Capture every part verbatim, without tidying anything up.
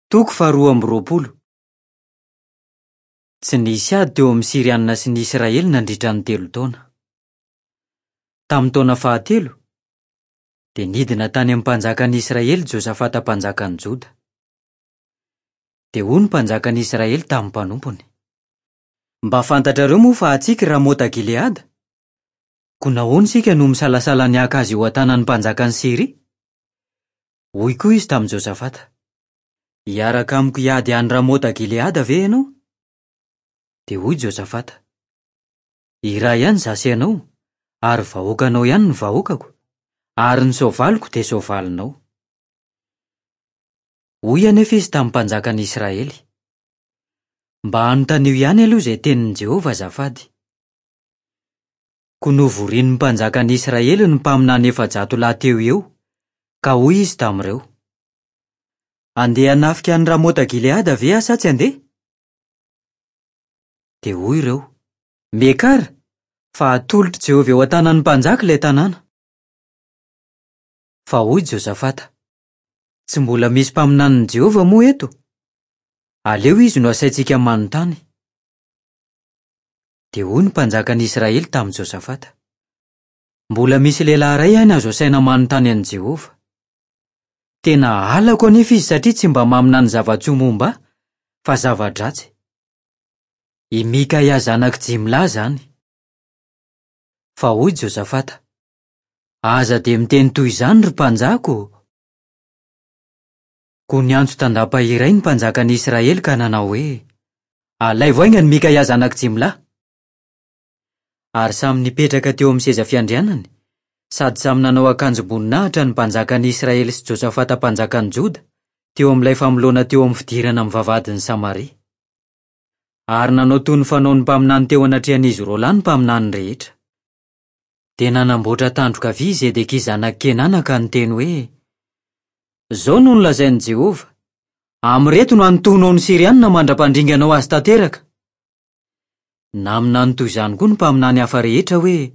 Toko faharoa amby roapolo. Tsy nisy ady teo amin'ny Syrianina sy ny Israely nandritra ny telo taona. Tamin'ny taona fahatelo, dia nidina tany amin'ny mpanjakan'i Israely Josafata mpanjakan'i Joda. Dia hoy ny mpanjakan'i Israely tamin'ny mpanompony: Mba fantatrareo moa fa antsika i Ramota Gileada? Koa nahoana isika no misalasala ny haka azy eo an-tanan'ny mpanjakan'i Syria? Hoy koa izy tamin'i Josafata: Hiaraka amiko hiady any Ramota Gileada ve ianao? Dia hoy Josafata: Iray ihany izaho sy ianao, ary vahoakanao ihany ny vahoakako, ary ny soavaliko dia soavalinao. Hoy anefa izy tamin'ny mpanjakan'i Israely: Mba anontanio ihany aloha izay tenin'i Jehovah azafady. Koa novorian'ny mpanjakan'i Israely ny mpaminany efajato lahy teo eo, ka hoy izy tamin'ireo: Andeha hanafika an'i Ramota Gileada ve aho sa tsy handeha? Dia hoy ireo: Miakara, fa atolotr'i Jehovah eo an-tanan'ny mpanjaka ilay tanàna. Fa hoy Josafata: Tsy mbola misy mpaminanin'i Jehovah moa eto? Aleo izy no asaintsika manontany. Dia hoy ny mpanjakan'i Israely tamin'i Josafata: Mbola misy lehilahy iray ihany azo asaina manontany an'i Jehovah. Tena halako anefa izy satria tsy mba maminany zava-tsoa momba ahy, fa zava-dratsy. I Mikaia zanak'i Jimla izany. Fa hoy Josafata: Aza dia miteny toy izany, ry mpanjaka ô! Koa niantso tandapa iray ny mpanjakan'i Israely ka nanao hoe: Alaivo haingana Mikaia zanak'i Jimla. Ary samy nipetraka teo amin'ny seza fiandrianany, sady samy nanao akanjom-boninahitra ny mpanjakan'i Israely sy Josafata mpanjakan'i Joda, teo amin'ilay famoloana teo amin'ny fidirana amin'ny vavahadin'i Samaria. Ary nanao toy ny fanaon'ny mpaminany teo anatrehan'izy roa lahy ny mpaminany rehetra. Dia nanamboatra tandroka vy i Zedekia zanak'i Kenana ka niteny hoe: Izao no nolazain'i Jehovah: Amin'ireto no hanintonao ny Syrianina mandra-pandringanao azy tanteraka. Naminany toy izany koa ny mpaminany hafa rehetra hoe: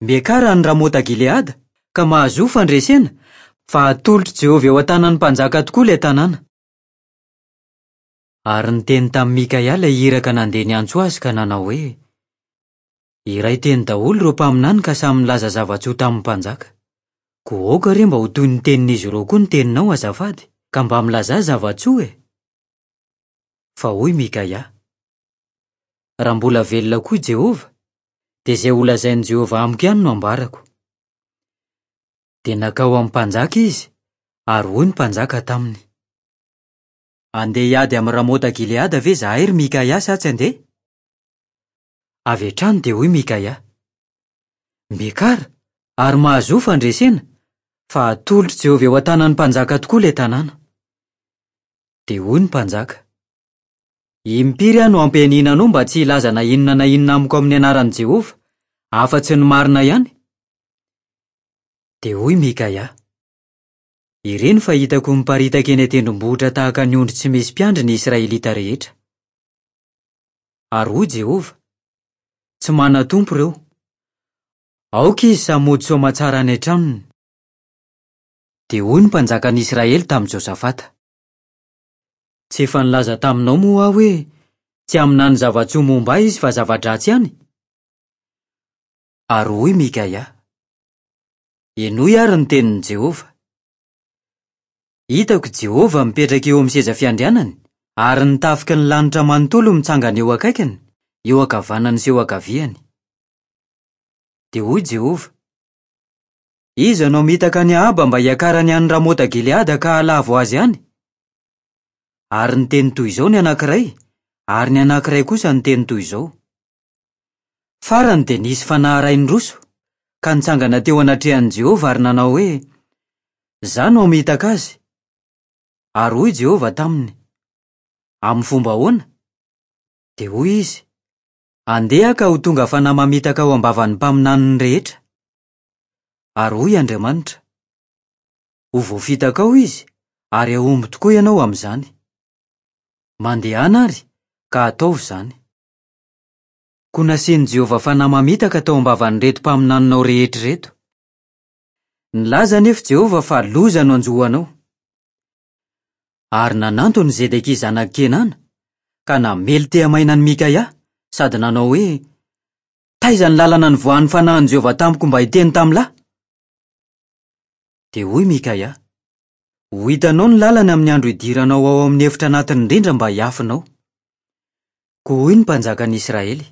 Miakara any Ramota Gileada, ka mahazoa fandresena, fa atolotr'i Jehovah eo an-tanan'ny mpanjaka tokoa ilay tanàna. Ary niteny tamin'i Mikaia ilay iraka nandeha niantso azy ka nanao hoe: Iray teny daholo ireo mpaminany ka samy nilaza zava-tsoa tamin'ny mpanjaka. Koa aoka re mba ho toy ny tenin'izy ireo koa ny teninao azafady, ka mba milazà zava-tsoa e! Fa hoy Mikaia: Raha mbola velona koa i Jehovah, dia izay holazain'i Jehovah amiko ihany no ambarako. Dia nankao amin'ny mpanjaka izy, ary hoy ny mpanjaka taminy: Andeha hiady amin'i Ramota Gileada ve izahay, ry Mikaia, sa tsy handeha? Avy hatrany dia hoy Mikaia: Miakara, ary mahazoa fandresena, fa atolotr'i Jehovah eo an-tanan'ny mpanjaka tokoa ilay tanàna. Dia hoy ny mpanjaka: Impiry aho no hampianiana anao mba tsy hilaza na inona na inona amiko amin'ny anaran'i Jehovah, afa-tsy ny marina ihany? Dia hoy Mikaia: Ireny fa hitako miparitaka eny an-tendrombohitra tahaka ny ondry tsy misy mpiandry ny Israelita rehetra. Ary hoy Jehovah: Tsy manan-tompo ireo. Aoka izy samy hody soamantsara any an-tranony. Dia hoy ny mpanjakan'i Israely tamin'i Josafata: Tsy efa nilaza taminao moa aho hoe tsy haminany zava-tsoa momba ahy izy fa zava-dratsy ihany? Ary hoy Mikaia: Henoy àry ny tenin'i Jehovah. Hitako Jehovah mipetraka eo amin'ny seza fiandrianany, ary ny tafiky ny lanitra manontolo mitsangana eo akaikiny, eo ankavanany sy eo ankaviany. Dia hoy Jehovah: Iza no hamitaka an'i Ahaba mba hiakarany any Ramota Gileada ka hahalavo azy any? Ary niteny toy izao ny anankiray, ary ny anankiray kosa niteny toy izao. Farany dia nisy fanahy iray niroso, ka nitsangana teo anatrehan'i Jehovah ary nanao hoe: Izaho no hamitaka azy. Ary hoy Jehovah taminy: Amin'ny fomba ahoana? Dia hoy izy: Andeha ka ho tonga fanahy mamitaka ao am-bavan'ny mpaminaniny rehetra. Ary hoy Andriamanitra: Ho voafitakao izy, ary hahomby tokoa ianao amin'izany. Mandehana àry, ka ataovy izany. Koa nasian'i Jehovah fanahy mamitaka tao am-bavan'ireto mpaminaninao rehetra ireto. Nilaza anefa Jehovah fa loza no hanjo anao. Ary nanantona i Zedekia zanak'i Kenana, ka namely tehamaina an'i Mikaia, sady nanao hoe: "Taiza ny lalana nivoahan'ny fanahin'i Jehovah tamiko mba hiteny tamin'ny lahy?" Dia hoy Mikaia: "Ho hitanao ny lalana amin'ny andro hidiranao ao amin'ny efitra anatiny indrindra mba hiafinao." Koa hoy ny mpanjakan'ny Israely: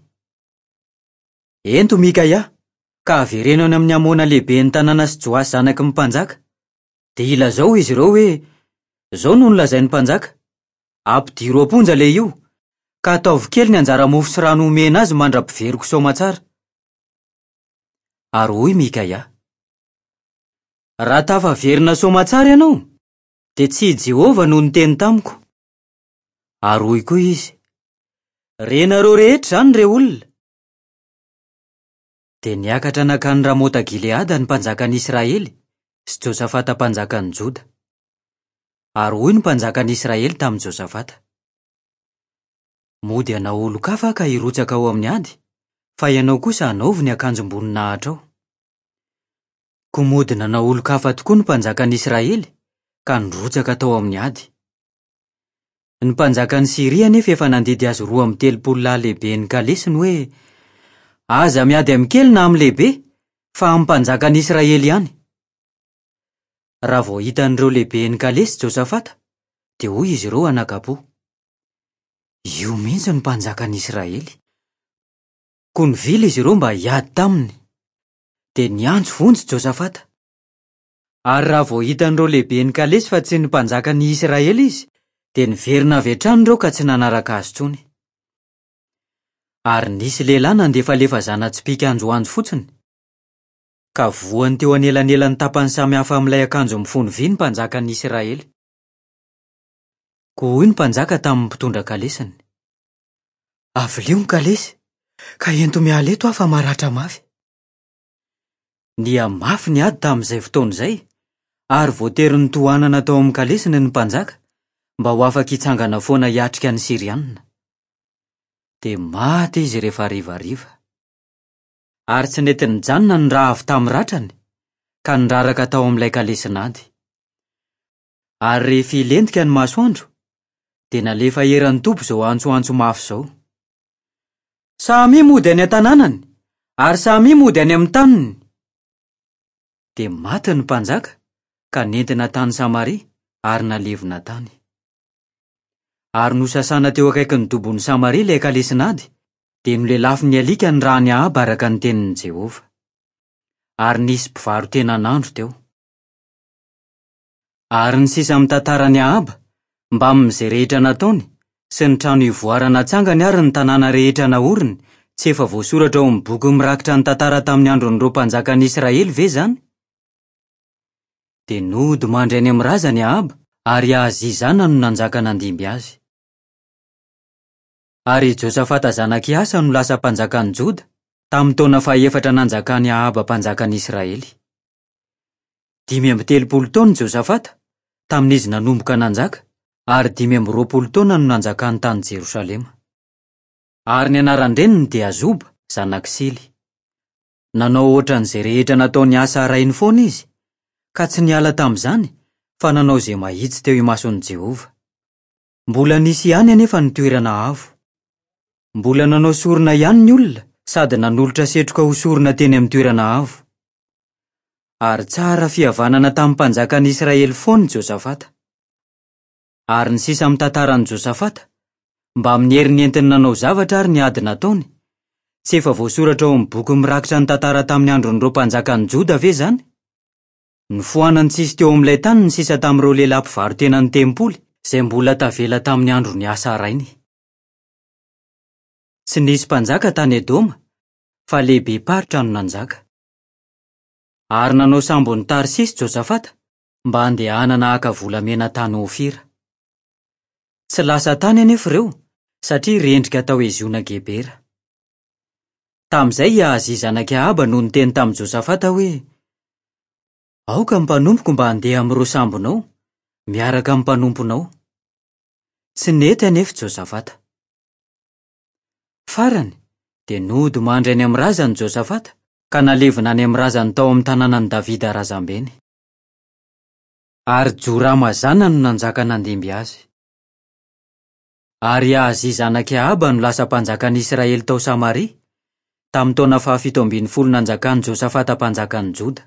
"Ento Mikaia, ka avereno any amin'ny Amona lehiben'ny tanàna sy Joasy zanaky ny mpanjaka. Dia ilazao izy ireo hoe: 'Izao no nolazain'ny mpanjaka: Ampidiro am-ponja ilay io, ka ataovy kely ny anjara mofo sy rano omena azy mandra-piveriko soamantsara." Ary hoy Mikaia: "Raha tafaverina soamantsara ianao, dia tsy i Jehovah no niteny tamiko." Ary hoy koa izy: "Renareo rehetra izany, re olona." Dia niakatra nankany Ramota Gileada ny mpanjakan'i Israely sy Josafata mpanjakan'i Joda. Ary hoy ny mpanjakan'i Israely tamin'i Josafata: "Mody hanao olon-kafa aho ka hirotsaka ao amin'ny ady, fa ianao kosa hanaovy ny akanjom-boninahitrao." Koa mody nanao olon-kafa tokoa ny mpanjakan'i Israely ka nirotsaka tao amin'ny ady. Ny mpanjakan'i Syria anefa efa nandidy azy roa amby telopolo lahy lehiben'ny kalesiny hoe: "Aza miady amin'ny kely na amin'ny lehibe, fa amin'ny mpanjakan'i Israely ihany." Raha vao hitan'ireo lehiben'ny kalesy Josafata, dia hoy izy ireo anakapo: "Io mihitsy ny mpanjakan'i Israely." Koa nivily izy ireo mba hiady taminy. Dia niantso vonjy Josafata. Ary raha vao hitan'ireo lehiben'ny kalesy fa tsy ny mpanjakan'i Israely izy, dia niverina avy hatrany ireo ka tsy nanaraka azy intsony. Ary nisy lehilahy nandefalefa zana-tsipìka anjoanjo fotsiny, ka voany teo anelanelan'ny tapany samihafa amin'ilay akanjo mifono vy ny mpanjakan'i Israely. Koa hoy ny mpanjaka tamin'ny mpitondra kalesiny: "Avilio ny kalesy, ka ento miala eto aho fa maratra mafy." Nihamafy ny ady tamin'izay fotoana izay, ary voatery nitohanana tao amin'ny kalesiny ny mpanjaka mba ho afaka hitsangana foana hiatrika ny Syrianina. Dia maty izy rehefa harivariva. Ary tsy nety nijanona ny ra avy tamin'ny ratrany, ka niraraka tao amin'ilay kalesin'ady. Ary rehefa hilentika ny masoandro, dia nalefa eran'ny toby izao antsoantso mafy izao: "Samia mody any an-tanànany, ary samia mody any amin'ny taniny." Dia maty ny mpanjaka ka nentina tany Samaria ary nalevina tany. Ary nosasana teo akaikin'ny dobon'i Samaria ilay kalesin'ady, dia nolelafin'ny alika ny ran'i Ahaba araka ny tenin'i Jehovah. Ary nisy mpivaro-tena nandro teo. Ary ny sisa amin'ny tantaran'i Ahaba, mbamin'izay rehetra nataony, sy ny trano ivoara natsangany ary ny tanàna rehetra naoriny, tsy efa voasoratra ao amin'ny boky mirakitra ny tantara tamin'ny andron'ireo mpanjakan'i Israely ve izany? Dia nody mandry any amin'ny razany Ahaba, ary Ahazia zanany no nanjaka nandimby azy. Ary i Josafata zanak'i Asa no lasa mpanjakan'i Joda, tamin'ny taona fahefatra nanjakan'i Ahaba mpanjakan'i Israely. Dimy amby telopolo taona i Josafata, tamin'izy nanomboka nanjaka, ary dimy amby roapolo taona no nanjakany tany Jerosalema. Ary ny anaran-dreniny dia Azoba, zanak'i Sily. Nanao ohatran'izay rehetra nataon'i Asa rainy foana izy, ka tsy niala tamin'izany, fa nanao izay mahitsy teo imason'i Jehovah. Mbola nisy ihany anefa ny toerana avo. Mbola nanao sorona ihany ny olona sady nanolotra setroka ho sorona teny amin'ny toerana avo. Ary tsara fihavanana tamin'ny mpanjakan'i Israely foana i Josafata. Ary ny sisa amin'ny tantaran'i Josafata, mbamin'ny heriny entiny nanao zavatra ary ny ady nataony, tsy efa voasoratra ao amin'ny boky mirakitra ny tantara tamin'ny andron'ireo mpanjakan'i Joda ve izany? Nofoanany tsisy teo amin'ilay tany ny sisa tamin'ireo lehilahy mpivaro-tena ny tempoly izay mbola tavela tamin'ny andron'i Asa rainy. Tsy nisy mpanjaka tany Edoma, fa lehibe-paritra no nanjaka. Ary nanao sambon'i Tarsisy Josafata mba handehanana haka volamena tany Ofira. Tsy lasa tany anefa ireo, satria rendrika tao Eziona Gebera. Tamin'izay i Ahazia zanak'i Ahaba no niteny tamin'i Josafata hoe: "Aoka ny mpanompoko mba handeha amin'ireo sambonao, miaraka amin'ny mpanomponao." Tsy nety anefa Josafata. Farany, dia nody mandry any amin'ny razany Josafata, ka nalevina any amin'ny razany tao amin'ny tanànan'i Davida razambeny. Ary Jorama zanany no nanjaka nandimby azy. Ary Ahazia zanak'i Ahaba no lasa mpanjakan'ny Israely tao Samaria, tamin'ny taona fahafito ambin'ny folo nanjakan'i Josafata mpanjakan'ny Joda.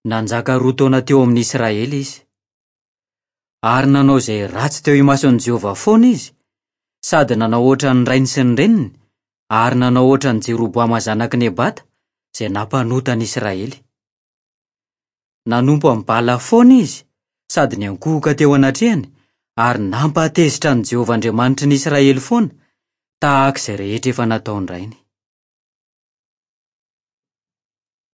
Nanjaka roa taona teo amin'ny Israely izy. Ary nanao izay ratsy teo imason'i Jehovah foana izy, sady nanao hoatran'ny rainy sy ny reniny, ary nanao hoatran'i Jeroboama zanak'i Nebata, izay nampanota ny Israely. Nanompo an'i Bala foana izy, sady niankohoka teo anatrehany, ary nampahatezitra an'i Jehovah Andriamanitry ny Israely foana, tahaka izay rehetra efa nataon-drainy.